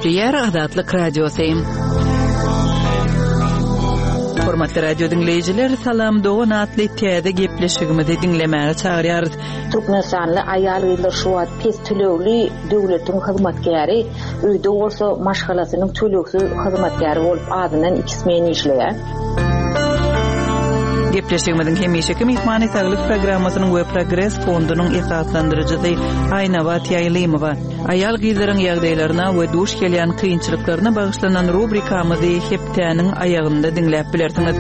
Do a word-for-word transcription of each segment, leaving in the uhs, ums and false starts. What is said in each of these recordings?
Gepleýär Azatlyk Radiosy. Hormatly radio diňleýjiler, Salam dogan atly täze gepleşigimizi diňlemäge çagyrýarys. Türkmenistanly aýal-gyzlar şu wagt pes tölegli döwletiň hyzmatkäri, öýde bolsa maşgalasynyň tölegsiz hyzmatkäri bolup azyndan iki smen işleýär. Gepleşigimiziň hemişeki myhmany Saglyk programmasynyň we Progres fondunyň esaslandyryjysy Aýnabat Ýaýlymowa. Aýal-gyzlaryň ýagdaýlaryna we duş gelýän kynçylyklaryna bagyşlanan rubrikamyzy hepdäniň aýagynda diňläp bilersiňiz.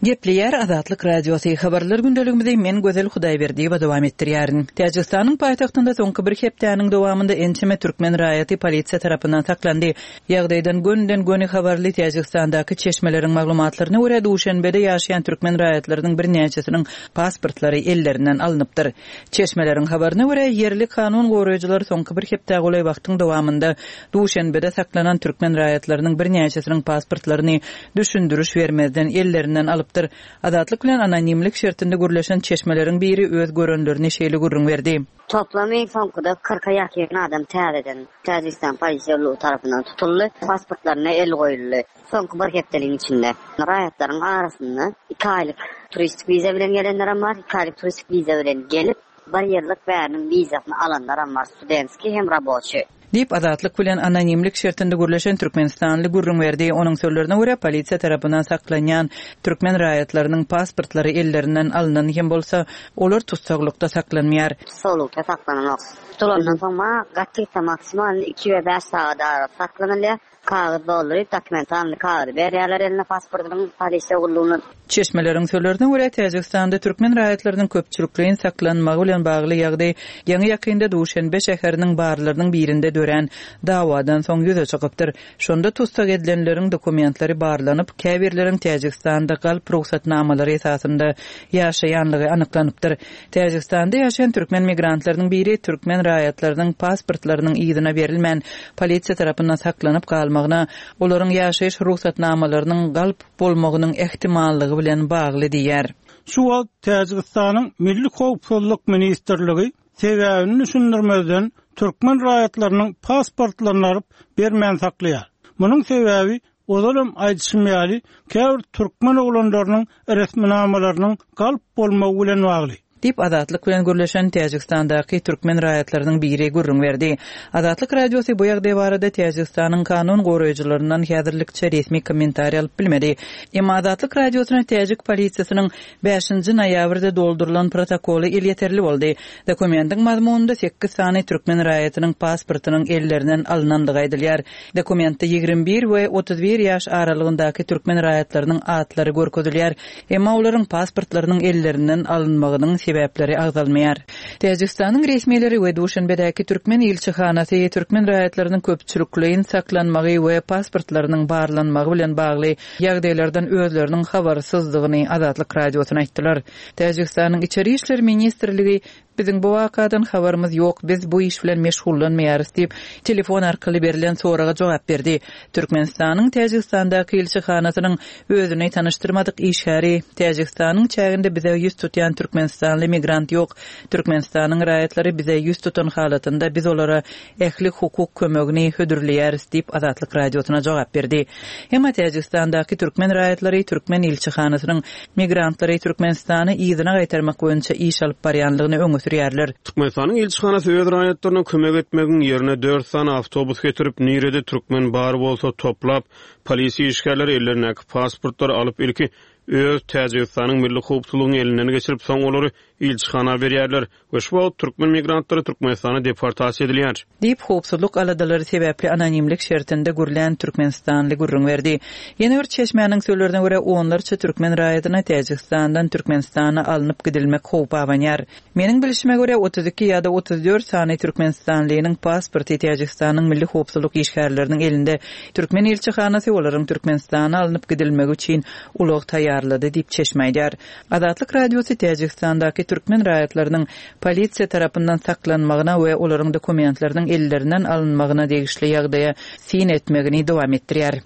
Gepleýär Azatlyk Radiosy. Habarlar gündeligimizi men Gözel Hudaýberdiýewa dowam etdirýärin. Täjigistanyň paýtagtynda soňky bir hepdäniň dowamynda ençeme türkmen raýaty polisiýa tarapyndan saklandy. Ýagdaýdan gönden-göni habarly Täjigistandaky çeşmeleriň maglumatlaryna görä Duşenbede ýaşaýan türkmen raýatlarynyň birnäçesiniň pasportlary ellerinden alnypdyr. Çeşmeleriň habaryna görä ýerli kanun goraýjylar soňky bir hepdä golaý wagtyň dowamynda Duşenbede saklanan türkmen raýatlarynyň birnäçesiniň pasportlaryny düşündiriş bermezden ellerinden alypdyr. Azatlyk bilen anonimlik şertinde gürleşen çeşmeleriň biri öz görenlerini şeýle gürrüň berdi. Toplamy soňkuda kyrka ýakyn adam täzeden Täjigistan polisiýa tarapyndan tutuldy, pasportlaryna el goýuldy. Soňky bir hepdeligiň içinde raýatlaryň arasynda iki aýlyk turistik wiza bilen gelenler bar, iki aýlyk turistik wiza bilen gelip, bir ýyllyk bäriniň wizasyny alanlar bar, studentski hem raboçy. Diýip Azatlyk bilen anonimlik şertinde gürleşen Türkmenistanly gürrüň berdi. Onuň sözlerine görä polisiýa tarapyndan saklanýan türkmen raýatlarynyň pasportlary ellerinden alynan hem bolsa, olar tutsaglykda saklanmaýar. Tutsaglykda saklananok. Tutulandan soň ma gaty maksimal iki we bäş sagat arasy saklanylýar. Kagyz dolduryp, dokumentalny kagyzy berýärler eline pasportynyň polisiýa gullugyna. Çeşmeleriň sözlerine görä Täjigistanda türkmen raýatlarynyň köpçülikleýin saklanmagy bilen bagly ýagdaý ýaňy ýakynda Duşenbe şäheriniň barlarynyň birinde dörän dawadan soň ýüze çykypdyr. Şonda tutsak edilenleriň dokumentleri barlanyp, käbirleriň Täjigistanda galp rugsatnamalary esasynda ýaşaýanlygy anyklanypdyr. Täjigistanda ýaşaýan türkmen migrantlarynyň biri türkmen raýatlarynyň pasportlarynyň yzyna berilmän polisiýa tarapyndan saklanyp galmagyna, olaryň ýaşaýyş rugsatnamalarynyň galp bolmagynyň ähtimallygy bilen bagly diýär. Şu wagt Täjigistanyň Milli Howpsuzlyk Ministrligi sebäbini düşündirmezden türkmen raýatlarynyň pasportlaryny alyp bermän saklaýar. Munuň sebäbi ozalam aýdyşym ýaly käbir türkmen oglanlarynyň resminamalarynyň galp bolmagy bilen bagly. Diýip Azatlyk bilen gürleşen Täjigistandaky türkmen raýatlarynyň biri gürrüň berdi. Azatlyk Radiosy bu ýagdaý barada Täjigistanyň kanun goraýjylaryndan häzirlikçe resmi kommentariý alyp bilmedi. Emma Azatlyk Radiosyna Täjik polisiýasynyň bäşinji noýabrda doldurylan protokoly elýeterli boldy. Dokumentiň mazmunynda sekiz sany türkmen raýatynyň pasportynyň ellerinden alynandygy aýdylýar. Dokumentde ýigrimi bir we otuz bir ýaş aralygyndaky türkmen raýatlarynyň atlary görkezilýär. Emma olaryň pasportlarynyň ellerinden alynmagynyň sebäpleri agzalmaýar. Täjigistanyň resmileri we Duşenbedäki türkmen ilçihanasy türkmen raýatlarynyň köpçülikleýin saklanmagy we pasportlarynyň barlanmagy bilen bagly ýagdaýlardan özleriniň habarsyzdygyny Azatlyk Radiosyna aýtdylar. Täjigistanyň Içeri İşler Ministrligi biziň bu wakadan habarymyz ýok, biz bu iş bilen meşgullanmaýarys diýip telefon arkaly berlen soraga jogap berdi. Türkmenistanyň Täjigistandaky ilçihanasynyň özüni tanyşdyrmadyk işgäri Täjigistanyň çäginde bize ýüz tutýan Türkmenistanly migrant ýok. Türkmenistanyň raýatlary bize ýüz tutan halatynda biz olara ähli hukuk kömegini hödürleýäris diýip Azatlyk Radiosyna jogap berdi. Emma Täjigistandaky türkmen raýatlary türkmen ilçihanasynyň migrantlary Türkmenistany yzyna gaýtarmak boýunça iş alyp barýanlygyny öňe sürýärler. Türkmenistanyň ilçihanasy öz raýatlaryna kömek etmegiň ýerine dört sany awtobus getirip, nirede türkmen bar bolsa toplap, polisiýa işgärleri ellerindäki pasportlary alyp ilki öz Täjigistanyň milli howpsuzlygyny elinden geçirip, soň olary ilçihana berýärler we şu wagt türkmen migrantlary Türkmenistana deportasiýa edilýär. Diýip howpsuzlyk aladalary sebäpli anonimlik şertinde gürlän Türkmenistanly gürrüň berdi. Ýene bir çeşmäniň sözlerine görä onlarça türkmen raýatyna Täjigistandan Türkmenistana alnyp gidilmek howpy abanýar. Meniň bilişime görä otuz iki ýa-da otuz dört sany Türkmenistanlynyň pasporty Täjigistanyň milli howpsuzlyk işgärleriniň elinde. Türkmen ilçihanasy olaryň Türkmenistana alnyp gidilmegi üçin ulag taýýarlady diýip çeşme aýdýar. Azatlyk Radiosy Täjigistandaky türkmen raýatlarynyň polisiýa tarapyndan saklanmagyna we olaryň dokumentleriniň ellerinden alynmagyna degişli ýagdaýa syn etmegini dowam etdirýär.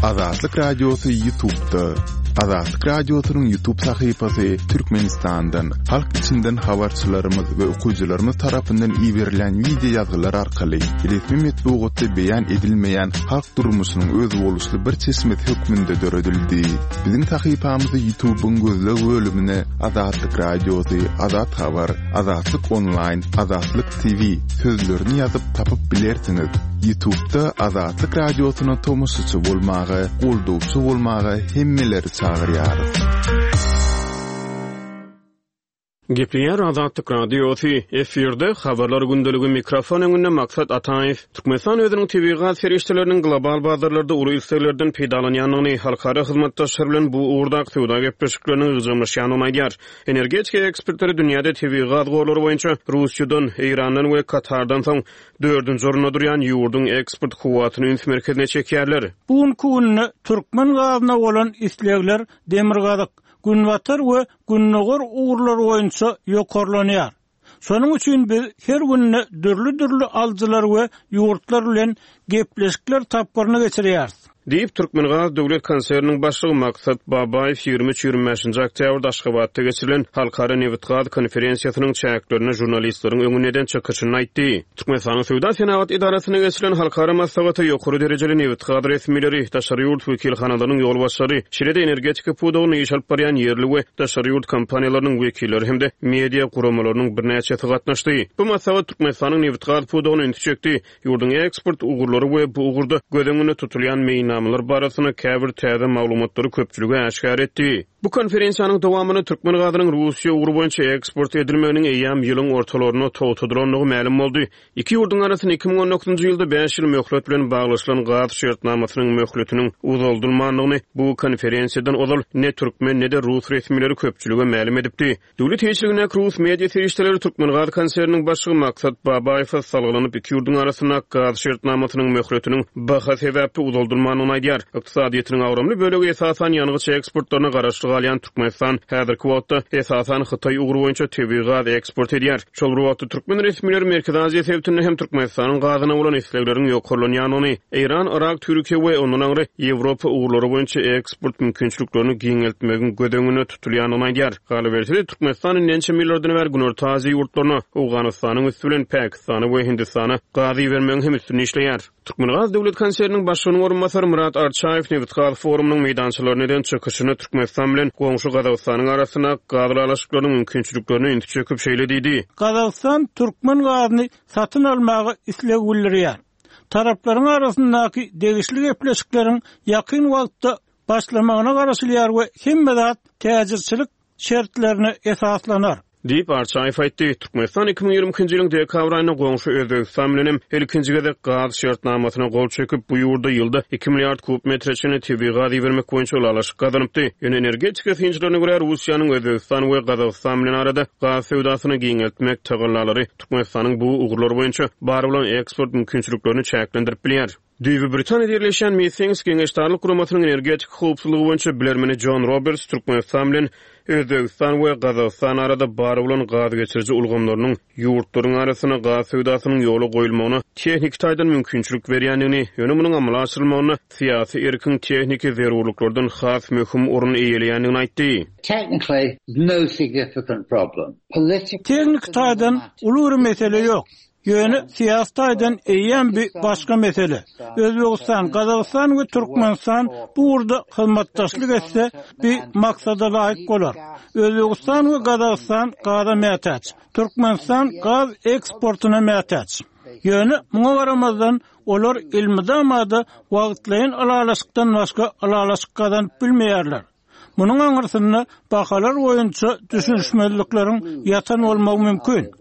Azatlyk Radiosy YouTube'da. Azatlyk Radiosynyň YouTube sahypasy Türkmenistandan, halk içinden habarçylarymyz we okyjylarymyz tarapyndan iberilen wideo ýazgylar arkaly resmi metbugatda beýan edilmeýän halk durmuşynyň özboluşly bir çeşmesi hökmünde döredildi. Biziň sahypamyzy YouTube'yň gözleg bölümine Azatlyk Radiosy, Azat Habar, Azatlyk Online, Azatlyk T V sözlerini ýazyp tapyp bilersiňiz. YouTube'da Azatlyk Radiosyna tomaşaçy bolmaga, goldawçy bolmaga hemmeleri çagyrýarys. Gepleýär Azatlyk Radiosy, efirde habarlar gündeligi, mikrofon öňünde Maksat Ataýew. Türkmenistan özüniň tebigy gaz serişdeleriniň global bazarlarda uly isleglerden peýdalanýandygyny, halkara hyzmatdaşlar bilen bu ugurdaky söwda gepleşikleriniň ygjalaşýandygyny aýdýar. Energetika ekspertleri dünýäde tebigy gaz gorlary boýunça Russiýadan, Eýrandan we Katardan soň dördünji orunda durýan ýurduň eksport kuwwatyny üns merkezine çekýärler. Bu günki günde türkmen gazyna bolan islegler demirgazyk, günbatar we gündogar ugurlar boýunça ýokarlanýar. Şonuň üçin biz her günde dürli-dürli alyjylar we ýurtlar bilen gepleşikler tapgyryny geçirýäris. Diýip, Türkmengaz döwlet konserniniň başlygy Maksat Babaýew ýigrimi üç ýigrimi bäşinji oktýabrda Aşgabatda geçirilen Halkara nebit-gaz konferensiýasynyň çäklerinde žurnalistleriň öňünde eden çykyşynda aýtdy. Türkmenistanyň Söwda Senagat edarasyna geçirilen halkara maslahata ýokary derejeli nebit-gaz resmileri, daşary ýurt wekilhanalarynyň ýolbaşçylary, şeýle-de energetika pudagynda iş alyp barýan ýerli we daşary ýurt kompaniýalarynyň wekilleri hem-de media guramalarynyň birnäçesi gatnaşdy. Bu maslahat Türkmenistanyň nebit-gaz pudagyna ünsi çekdi. Ýurduň eksport ugurlary we bu ugurda göz öňünde tutulýan meýilnamalar barasynda käbir täze maglumatlary köpçülige äşgär etdi. Bu konferensiýanyň dowamynda türkmen gazynyň Russiýa ugry boýunça eksport edilmeginiň eýýäm ýylyň ortalarynda togtadylandygy mälim boldy. Iki ýurduň arasynda iki müň on dokuzynjy ýylda bäş ýyl möhlet bilen baglaşylan gaz şertnamasynyň möhletiniň uzaldylmandygyny bu konferensiýadan ozal ne türkmen ne-de rus resmileri köpçülige mälim edipdi. Döwlet eýeçiligindäki rus media serişdeleri Türkmen gaz konserniniň başlygy Maksat Babaýewe salgylanyp iki ýurduň arasynda gaz şertnamasynyň möhletiniň baha sebäpli uzaldylmandygyny aýdýar. Ykdysadyýetiniň agramly bölegi esasan ýangyç eksportlaryna garaşly galýan Türkmenistan häzirki wagtda esasan Hytaý ugry boýunça tebigy gaz eksport edýär. Şol bir wagtda türkmen resmileri Merkezi Aziýa sebitinde hem Türkmenistanyň gazyna bolan islegleriň ýokarlanýandygyny, Eýran, Irak, Türkiýe we ondan aňry Ýewropa ugurlary boýunça eksport mümkinçiliklerini giňeltmegiň göz öňünde tutulýandygyny aýdýar. Galyberse-de Türkmenistan ençeme ýyllardan bäri Günorta Aziýa ýurtlaryna, Owganystanyň üsti bilen Pakistana we Hindistana gaz ibermegiň hem üstünde işleýär. Türkmengaz döwlet konserniniň başlygynyň orunbasary Murat Arçaýew nebit-gaz forumynyň meýdançalaryna eden çykyşyny Türkmenistan bilen goňşy Gazagystanyň arasynda gaz ylalaşyklarynyň mümkinçiliklerini ünsi çekip şeýle diýdi. Gazagystan türkmen gazyny satyn almaga isleg bildirýär. Taraplaryň arasyndaky degişli gepleşikleriň ýakyn wagtda başlamagyna garaşylýar we hemme zat täjirçilik şertlerine esaslanar. Diýip Arçaýew aýtdy. Türkmenistan iki müň ýigrimi ikinji ýylyň dekabr aýynda goňşy Özbegistan bilen hem ilkinji gezek gaz şertnamasyna gol çekip, bu ýurda ýylda iki milliard kub metre çenli tebigy gaz ibermek boýunça ylalaşyk gazanypdy. Ýöne energetika synçylaryna görä Russiýanyň Özbegistan we Gazagystan bilen arada gaz söwdasyny giňeltmek tagallalary Türkmenistanyň bu ugurlar boýunça bar bolan eksport mümkinçiliklerini çäklendirip bilýär. Düýbi Britaniýada ýerleşýän Meetings Geňeşdarlyk guramasynyň energetika howpsuzlygy boýunça bilermeni John Roberts Türkmenistan bilen Özbegistan we Gazagystan arada bar bolan gaz geçiriji ulgamlarynyň ýurtlaryň arasynda gaz söwdasynyň ýola goýulmagyna tehniki taýdan mümkinçilik berýändigini, ýöne munuň amala aşyrylmagyna syýasy erkiň tehniki zerurlyklardan has möhüm orun eýeleýändigini aýtdy. Technically, no significant problem. Politically, Tehniki taýdan uly bir mesele ýok. Ýöne syýasy taýdan eýýäm bir başga mesele. Özbegistan, Gazagystan we Türkmenistan bu ugurda hyzmatdaşlyk etse bir maksada laýyk bolar. Özbegistan we Gazagystan gaza mätäç. Türkmenistan gaz eksportuna mätäç. Ýöne muňa garamazdan olar ilmidamada wagtlaýyn ylalaşykdan başga ylalaşyk gazanyp bilmeýärler. Munuň aňyrsynda bahalar boýunça düşünişmezlikleriň ýatan bolmagy mümkin.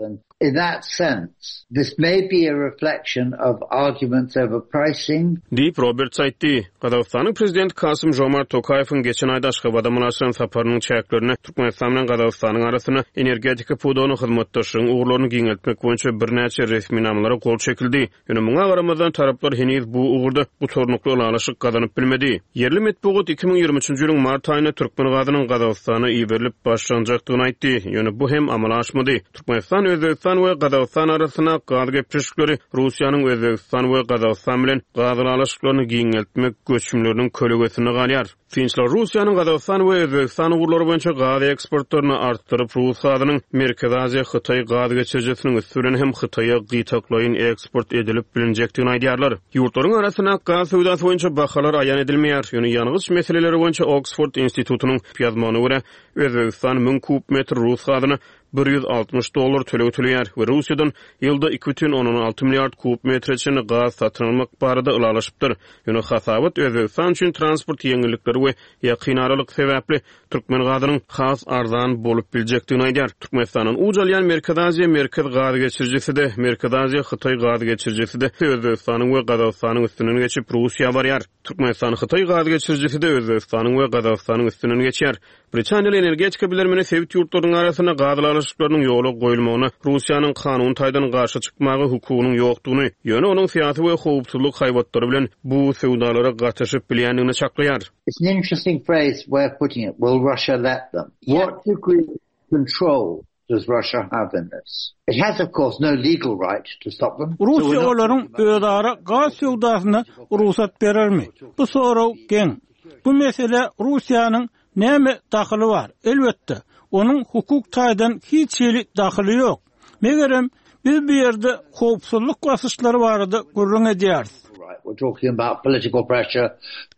In that sense, this may be a reflection of arguments over pricing. Diýip Roberts aýtdy. Gazagystanyň prezidenti Kasym Jomart Tokaýewiň geçen aýda Aşgabada mynasyp saparynyň çäklerinde Türkmenistan bilen Gazagystanyň arasynda energetika pudagyny hyzmatdaşlygyň ugurlaryny giňeltmek boýunça birnäçe resminamalara gol çekildi. Ýöne muňa garamazdan taraplar heniz bu ugurda gutarnykly ylalaşyk gazanyp bilmedi. Ýerli metbugat iki müň ýigrimi üçünji ýylyň mart aýynda türkmen gazynyň Gazagystana iberilip başlanjakdygyny aýtdy. Ýöne bu hem amala aşmady. Türkmenistan Özbegistan Özbegistan we Gazagystan arasynda gaz gepleşikleri Russiýanyň Özbegistan we Gazagystan bilen gaz ylalaşyklaryny giňeltmek göçümleriniň kölegesinde galýar. Synçylar Russiýanyň Gazagystan we Özbegistan ugurlary boýunça gaz eksportlaryny artdyryp, rus gazynyň Merkezi Aziýa Hytaý gaz geçirijisiniň üsti bilen hem Hytaýa gytaklaýyn eksport edilip bilinjekdigini aýdýarlar. Ýurtlaryň arasynda gaz söwdasy boýunça bahalar aýan edilmeýär. Ýöne ýangyç meseleleri boýunça Oksford institutynyň ýazmagyna görä, Özbegistan müň kub metr rus gazyna bir ýüz altmyş dollar töleg töleýär we Russiýadan ýylda iki bütin ondan alty milliard kub metre çenli gaz satyn almak barada ylalaşypdyr. Ýöne hasabat Özbegistan üçin transport ýeňillikleri we ýakyn aralyk sebäpli türkmen gazynyň has arzan bolup biljekdigini aýdýar. Türkmenistandan uç alýan Merkezi Aziýa Merkez gaz geçirijisi-de, Merkezi Aziýa Hytaý gaz geçirijisi-de Özbegistanyň we Gazagystanyň üstünden geçip Russiýa barýar. Türkmenistan Hytaý gaz geçirijisi-de Özbegistanyň we Gazagystanyň üstünden geçýär. Britaniýaly energetika bilermeni sebit ýurtlarynyň arasynda gaz ylalaşyklarynyň ýola goýulmagyna Russiýanyň kanun taýdan garşy çykmaga hukugynyň ýokdugyny, ýöne onuň syýasy we howpsuzlyk haýbatlary bilen bu söwdalara gatyşyp bilýändigini çaklaýar. It's an interesting phrase way of putting it. Will Russia let them? What degree of control does Russia have in this? It has, of course, no legal right to stop them. Russiýa olaryň özara gaz söwdasyna rugsat berermi? Bu sorag geň. Bu mesele Russiýanyň näme dahyly bar? Elbetde, onuň hukuk taýdan hiç hili dahyly ýok. Megerem biz bu ýerde howpsuzlyk basyşlary barada gürrüň edýäris. Right. We're talking about political pressure.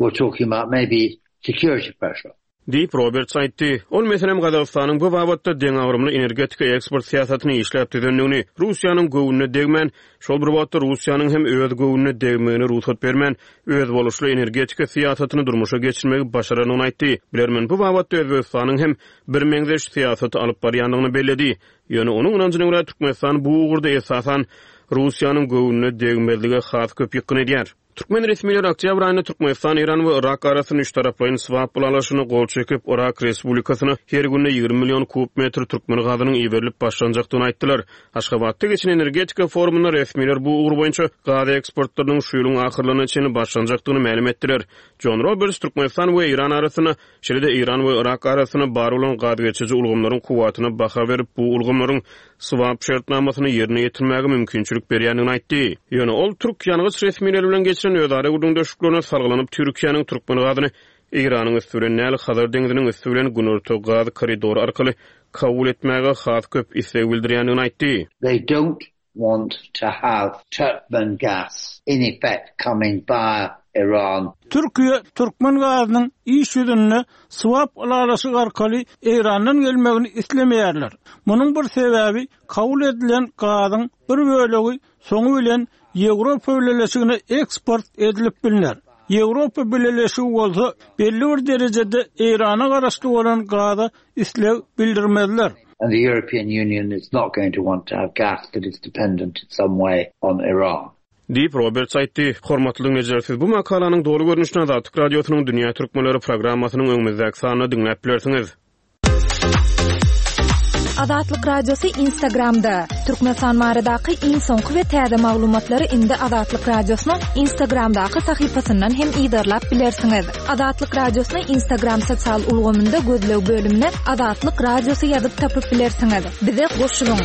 We're talking about maybe security pressure. Diýip Roberts aýtdy. Ol meselem Gazagystanyň bu babatda deňagramly energetika eksport syýasatyny işläp düzendigini, Russiýanyň göwnüne degmän, şol bir wagtda Russiýanyň hem öz göwnüne degmegine rugsat bermän, öz boluşly energetika syýasatyny durmuşa geçirmegi başarandygyny aýtdy. Bilermen bu babatda Özbegistanyň hem bir meňzeş syýasaty alyp barýandygyny belledi. Ýöne onuň ynanjyna görä Türkmenistan bu ugurda esasan Russiýanyň göwnüne degmezlige has köp ýykgyn edýär. Türkmen resmileri oktýabr aýynda Türkmenistan, Eýran we Irak arasynda üç taraplaýyn swap ylalaşygyna gol çekip, Irak Respublikasyna her günde ýigrimi million kub metr türkmen gazynyň iberilip başlanjakdygyny aýtdylar. Aşgabatda geçen energetika forumynda resmiler bu ugur boýunça gaz eksportlarynyň şu ýylyň ahyrlaryna çenli başlanjakdygyny mälim etdiler. John Roberts Türkmenistan we Eýran arasynda, şeýle-de Eýran we Irak arasynda bar bolan gaz geçiriji ulgamlaryň kuwwatyna baha berip, bu ulgamlaryň swap şertnamasyny ýerine ýetirmäge mümkinçilik berýändigini aýtdy. Ýöne ol türk ýangyç resmileri bilen geçiren özara gürrüňdeşliklerine salgylanyp Türkiýäniň türkmen gazyny Eýranyň üsti bilen däl, Hazar deňziniň üsti bilen Günorta gaz koridory arkaly kabul etmäge has köp isleg bildirýändigini aýtdy. They don't want to have Turkmen gas in effect coming via Iran. Türkiýe türkmen gazynyň iş ýüzünde swap ylalaşyk arkaly Eýrandan gelmegini islemeýärler. Munuň bir sebäbi kabul edilen gazyň bir bölegi soňy bilen Ýewropa Bileleşigine eksport edilip bilner. Ýewropa Bileleşigi bolsa belli bir derejede Eýrana garaşly bolan gaza isleg bildirmezler. And the European Union is not going to want to have gas that is dependent in some way on Iran. Diýip Roberts aýtdy. Hormatly dinleýjiler, siz bu makalanyň doly görnüşini Azatlyk Radiosynyň Dünýä Türkmenleri programmasynyň öňümizdäki sanynda diňläp bilersiňiz. Azatlyk Radiosy Instagramda. Türkmenistan baradaky iň soňky we täze maglumatlary indi Azatlyk Radiosynyň Instagramdaky sahypasyndan hem yzarlap bilersiňiz. Azatlyk Radiosyny Instagram sosial ulgamynda gözleg bölümine Azatlyk Radiosy ýazyp tapyp bilersiňiz. Bize goşulyň.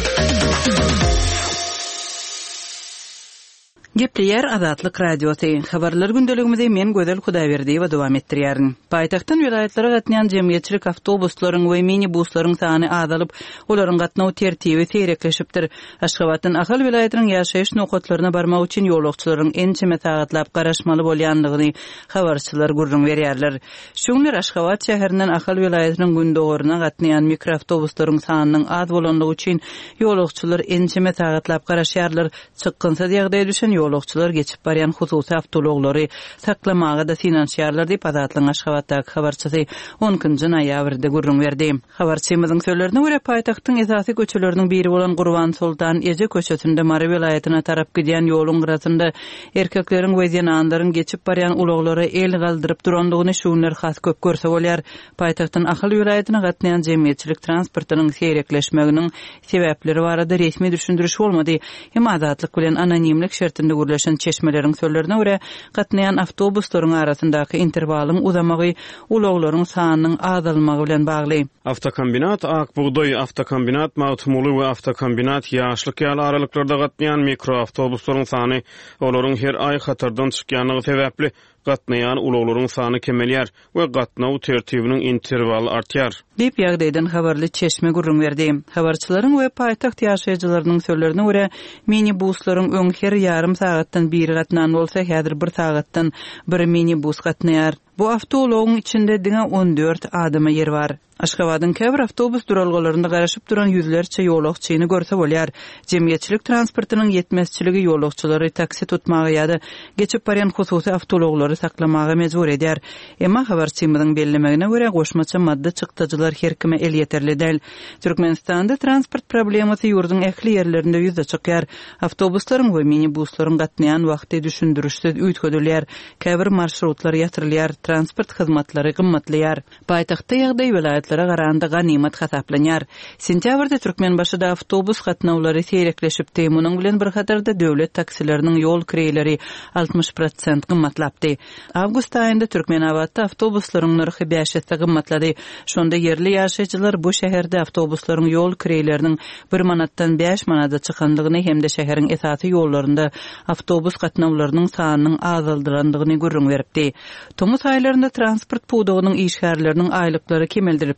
Gepleýär Azatlyk Radiosy. Habarlar gündeligimizi men Gözel Hudaýberdiýewa dowam etdirýärin. Paýtagtdan welaýatlara gatnaýan jemgyýetçilik awtobuslaryň we minibuslaryň sany azalyp, olaryň gatnaw tertibi seýrekleşipdir. Aşgabatdan Ahal welaýatynyň ýaşaýyş nokatlaryna barmak üçin ýolagçylaryň ençeme sagatlap garaşmaly bolýandygyny habarçylar gürrüň berýärler. Şu günler Aşgabat şäherinden Ahal welaýatynyň gündogaryna gatnaýan mikroawtobuslaryň sanynyň az bolanlygy üçin ýolagçylar ençeme sagatlap garaşýarlar. Çykgynsyz ýagdaýa düşen ýolagçylar geçip barýan hususy awtoulaglary saklamaga da synanyşýarlar diýip Azatlygyň Aşgabatdaky habarçysy on ikinji noýabrda gürrüň berdi. Habarçymyzyň sözlerine görä paýtagtyň esasy köçeleriniň biri bolan Gurban Soltan Eje köçesinde Mary welaýatyna tarap gidýän ýoluň gyrasynda erkekleriň we zenanlaryň geçip barýan ulaglara el galdyryp durandygyny şu günler has köp görse bolýar. Paýtagtdan Ahal welaýatyna gatnaýan jemgyýetçilik transportynyň seýrekleşmeginiň sebäpleri barada resmi düşündiriş bolmady. Hem Azatlyk bilen anonimlik şertinde bilen gürleşen çeşmeleriň sözlerine görä, gatnaýan awtobuslaryň arasyndaky interwalyň uzamagy ulaglaryň sanynyň azalmagy bilen bagly. Awtokombinat Ak bugdaý, Awtokombinat Magtymguly we Awtokombinat Ýaşlyk ýaly aralyklarda gatnaýan mikroawtobuslaryň sany olaryň her aý hatardan çykýanlygy sebäpli gatnaýan ulaglaryň sany kemelýär we gatnaw tertibiniň interwaly artýar. Diýip ýagdaýdan habarly çeşme gürrüň berdi. Habarçylaryň we paýtagt ýaşaýjylarynyň sözlerine görä, minibuslaryň öň her ýarym sagatdan biri gatnan bolsa, häzir bir sagatdan bir minibus gatnaýar. Bu awtoulagyň içinde diňe on dört adama ýer bar. Aşgabadyň käbir awtobus duralgalarynda garaşyp duran ýüzlerçe ýolagçyny görse bolýar. Jemgyýetçilik transportynyň ýetmezçiligi ýolagçylary taksi tutmaga ýa-da geçip barýan hususy awtoulaglary saklamaga mejbur edýär. Emma habarçymyzyň bellemegine görä goşmaça maddy çykdajylar her kime elýeterli däl. Türkmenistanda transport problemasy ýurduň ähli ýerlerinde ýüze çykýar. Awtobuslaryň we minibuslaryň gatnaýan wagty düşündirişsiz üýtgedilýär. Käbir marşrutlar ýatyrylýar, transport hyzmatlary gymmatlaýar. Paýtagtda ýagdaý welaýatlara garanda ganymat hasaplanýar. Sentýabrda Türkmenbaşyda awtobus gatnawlary seýrekleşipdi. Munuň bilen bir hatarda döwlet taksileriniň ýol kireýleri altmyş prosent gymmatlapdy. Awgust aýynda Türkmenabatda awtobuslaryň nyrhy bäş esse gymmatlady. Şonda ýerli ýaşaýjylar bu şäherde awtobuslaryň ýol kireýleriniň bir manatdan bäş manada çykandygyny hem-de şäheriň esasy ýollarynda awtobus gatnawlarynyň sanynyň azaldylandygyny gürrüň beripdi. Tomus aýlarynda transport pudagynyň işgärleriniň aýlyklary kemeldilipdi.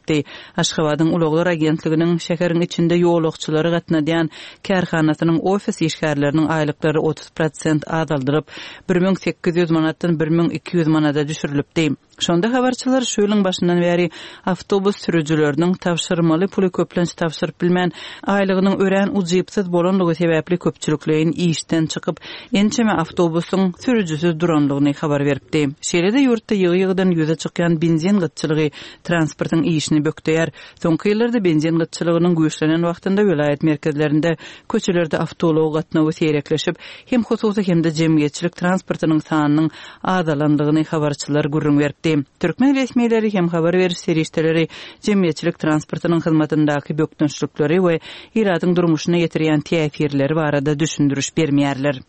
Aşgabadyň ulaglar agentliginiň şäheriň içinde ýolagçylary gatnadýan kärhanasynyň ofis işgärleriniň aýlyklary otuz prosent azaldylyp, bir müň sekiz ýüz manatdan bir müň iki ýüz manada düşürilipdi. Şonda habarçylar şu ýylyň başyndan bäri awtobus sürüjileriniň tabşyrmaly puly köplenç tabşyryp bilmän, aýlygynyň örän ujypsyz bolanlygy sebäpli köpçülikleýin işden çykyp, ençeme awtobusyň sürüjisiz duranlygyny habar beripdi. Şeýle-de ýurtda ýygy-ýygydan ýüze çykýan benzin gytçylygy transportyň işini bökdeýär. Soňky ýyllarda benzin gytçylygynyň güýçlenen wagtynda welaýat merkezlerinde köçelerde awtoulag gatnawy seýrekleşip, hem hususy hem-de jemgyýetçilik transportynyň sanynyň azalanlygyny habarçylar gürrüň beripdi. Türkmen resmileri hem habar beriş serişdeleri jemgyýetçilik transportynyň hyzmatyndaky bökdençlikleri we ilatyň durmuşyna ýetirýän täsirleri barada düşündiriş bermeýärler.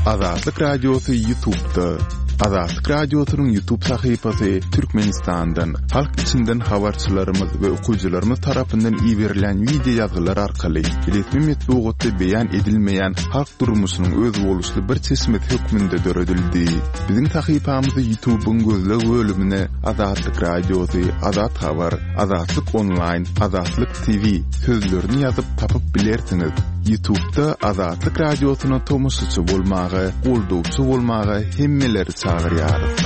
Azatlyk Radiosy YouTube'da. Azatlyk Radiosynyň YouTube sahypasy Türkmenistandan, halk içinden habarçylarymyz we okyjylarymyz tarapyndan iberilen video ýazgylar arkaly resmi metbugatda beýan edilmeýän halk durmuşynyň özboluşly bir çeşmesi hökmünde döredildi. Biziň sahypamyzy YouTube'yň gözleg bölümine Azatlyk Radiosy, Azat Habar, Azatlyk Online, Azatlyk T V sözlerini ýazyp tapyp bilersiňiz. YouTube'da Azatlyk Radiosyna tomaşaçy bolmaga, goldawçy bolmaga hemmeleri çagyrýarys.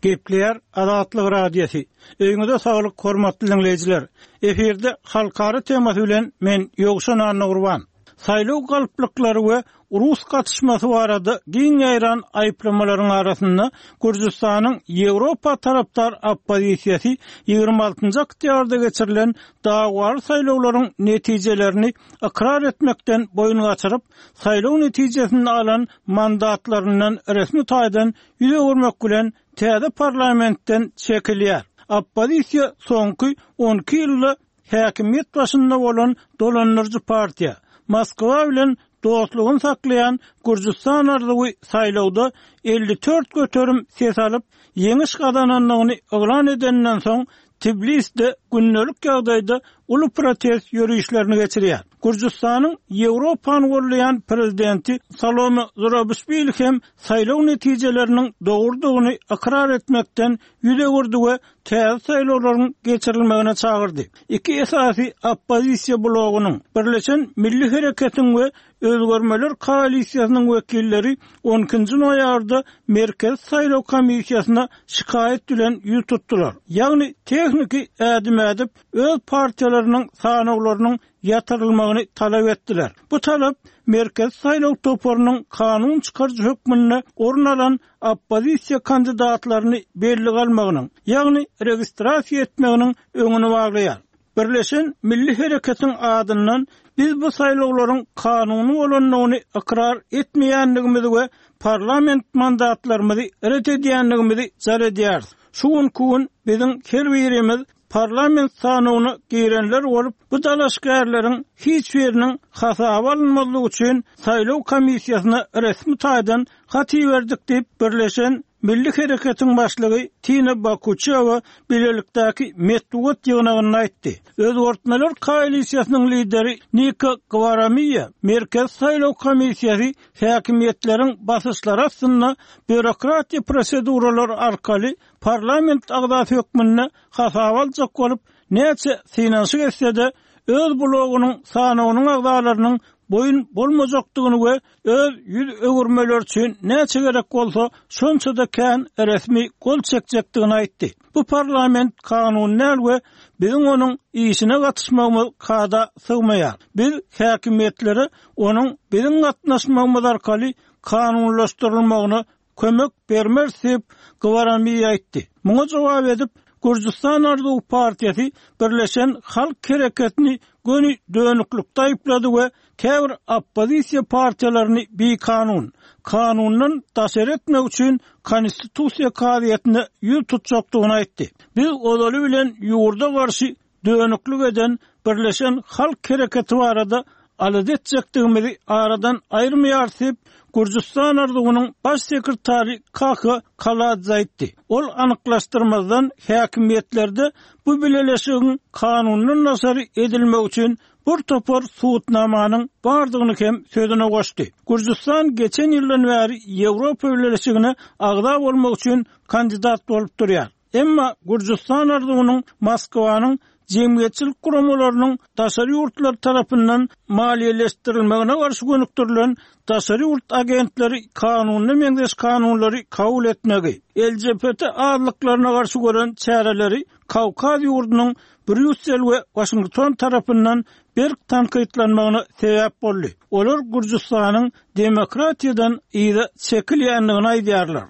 Gepleýär Azatlyk Radiosy. Öýüňize saglyk hormatly dinleýjiler. Efirde halkara temasy bilen men Ýowşan Annagurban. Saýlaw galplyklary we Rus gatyşmasy barada giň ýaýran aýyplamalaryň arasynda Gürjüstanyň Ýewropa tarapdar oppozisiýasy ýigrimi altynjy oktýabrda geçirilen dawaly saýlawlaryň netijelerini ykrar etmekden boýun gaçyryp, saýlaw netijesini alan mandatlaryndan resmi taýdan ýüz öwürmek bilen täze parlamentden çekilýär. Oppozisiýa soňky on iki ýylda häkimiýet başynda bolan dolandyryjy partiýa Moskwa bilen dostlugyny saklaýan Gürjüstan arzuwy saýlawda elli dört göterim ses alyp, ýeňiş gazanandygyny yglan edenden soň Tbilisde gündelik ýagdaýda uly protest ýörişlerini geçirýär. Gürjüstanyň Ýewropany gollaýan prezidenti Salome Zurabişwili hem saýlaw netijeleriniň dogrudygyny ykrar etmekden ýüz öwürdi we täze saýlawlaryň geçirilmegine çagyrdy. Iki esasy oppozisiýa blogynyň, Birleşen Milli Hereketiň we Özgermeler koalisiýasynyň wekilleri on ikinji noýabrda Merkezi Saýlaw Komissiýasyna şikaýat bilen ýüz tutdular. Ýagny tehniki ädim ädip öz partiýalarynyň sanawlarynyň ýatyrylmagyny talap etdiler. Bu talap Merkezi Saýlaw toparynyň kanun çykaryjy hökmünde orun alan oppozisiýa kandidatlaryny belli almagynyň, ýagny registrasiýa etmeginiň öňüni baglaýar. Birleşen Milli Hereketiň adyndan biz bu saýlawlaryň kanuny bolandygyny ykrar etmeýändigimizi we parlament mandatlarymyzy ret edýändigimizi jar edýäris. Şu günki gün biziň her birimiz parlament sanawyna girenler bolup, bu dalaşgärleriň hiç biriniň hasaba alynmazlygy üçin saýlaw komissiýasyna resmi taýdan hat iberdik diýip, Birleşen Milli Hereketiň başlygy Tina Bakuçewa bilelikdäki metbugat ýygnagynda aýtdy. Özgertmeler koalisiýasynyň lideri Nika Gwaramiýa Merkezi saýlaw komissiýasy häkimiýetleriň basyşlary astynda býurokratiýa proseduralary arkaly parlament agzasy hökmünde hasaba aljak bolup, näçe synanyşyk etse-de, öz blogunyň sanawynyň agzalarynyň boýun bolmajakdygyny we öz ýüz öwürmeleri üçin näçe gerek bolsa, şonça-da kän resmi gol çekjekdigini aýtdy. Bu parlament kanuny däl we biziň onuň işine gatyşmagymyz kada sygmaýar. Biz häkimiýetlere onuň biziň gatnaşmagymyz arkaly kanunlaşdyrylmagyna kömek bermeris diýip, Gwaramiýa aýtdy. Muňa jogap edip, Gürjüstan Arzuwy partiýasy Birleşen Halk Hereketini göni dönüklikde aýyplady we käbir oppozisiýa partiýalaryny bikanun, kanundan daşary etmek üçin Konstitusiýa kazyýetine ýüz tutjakdygyny aýtdy. Biz ozaly bilen ýurda garşy dönüklik eden Birleşen Halk Hereketi barada alada etjekdigimizi aradan aýyrmaýarys diýip, Gürjüstan Arzuwynyň baş sekretary Kakha Kaladze aýtdy. Ol anyklaşdyrmazdan häkimiýetlerde bu bileleşigiň kanundan daşary edilmegi üçin bir topar subutnamanyň bardygyny hem sözüne goşdy. Gürjüstan geçen ýyldan bäri Ýewropa Bileleşigine agza bolmak üçin kandidat bolup durýar. Emma Gürjüstan Arzuwynyň Moskwanyň jemgyýetçilik guramalarynyň daşary ýurtlar tarapyndan maliýeleşdirilmegine garşy gönükdirilen daşary ýurt agentleri kanunyna meňzeş kanunlary kabul etmegi, L G B T azlyklaryna garşy gören çäreleri Kawkaz ýurdunyň Brýussel we Waşington tarapyndan berk tankytlanmagyna sebäp boldy. Olar Gürjüstanyň demokratiýadan yza çekilýändigini aýdýarlar.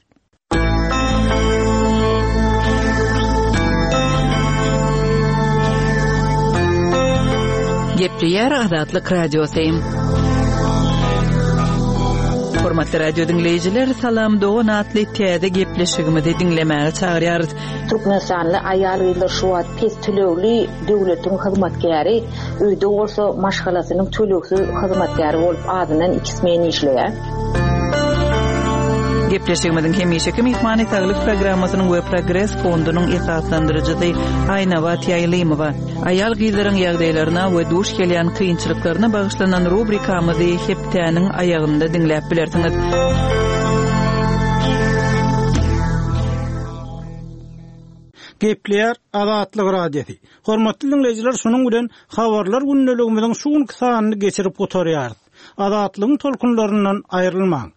Gepleýär Azatlyk Radiosy. Hormatly radio diňleýjiler, Salam dogan atly täze gepleşigimizi diňlemäge çagyrýarys. Türkmenistanly aýal-gyzlar şu wagt pes tölegli döwletiň hyzmatkäri, öýde bolsa maşgalasynyň tölegsiz hyzmatkäri bolup azyndan iki smen işleýär. Gepleşigimiziň hemişeki myhmany Saglyk programmasynyň we Progres fondunyň esaslandyryjysy Aýnabat Ýaýlymowa. Aýal-gyzlaryň ýagdaýlaryna we duş gelýän kynçylyklaryna bagyşlanan rubrikamyzy hepdäniň aýagynda diňläp bilersiňiz. Gepleýär Azatlyk Radiosy. Hormatly dinleýjiler, şunuň bilen habarlar gündeligimiziň şu günki sanyny geçirip gutarýarys. Azatlygyň tolkunlaryndan aýrylmaň.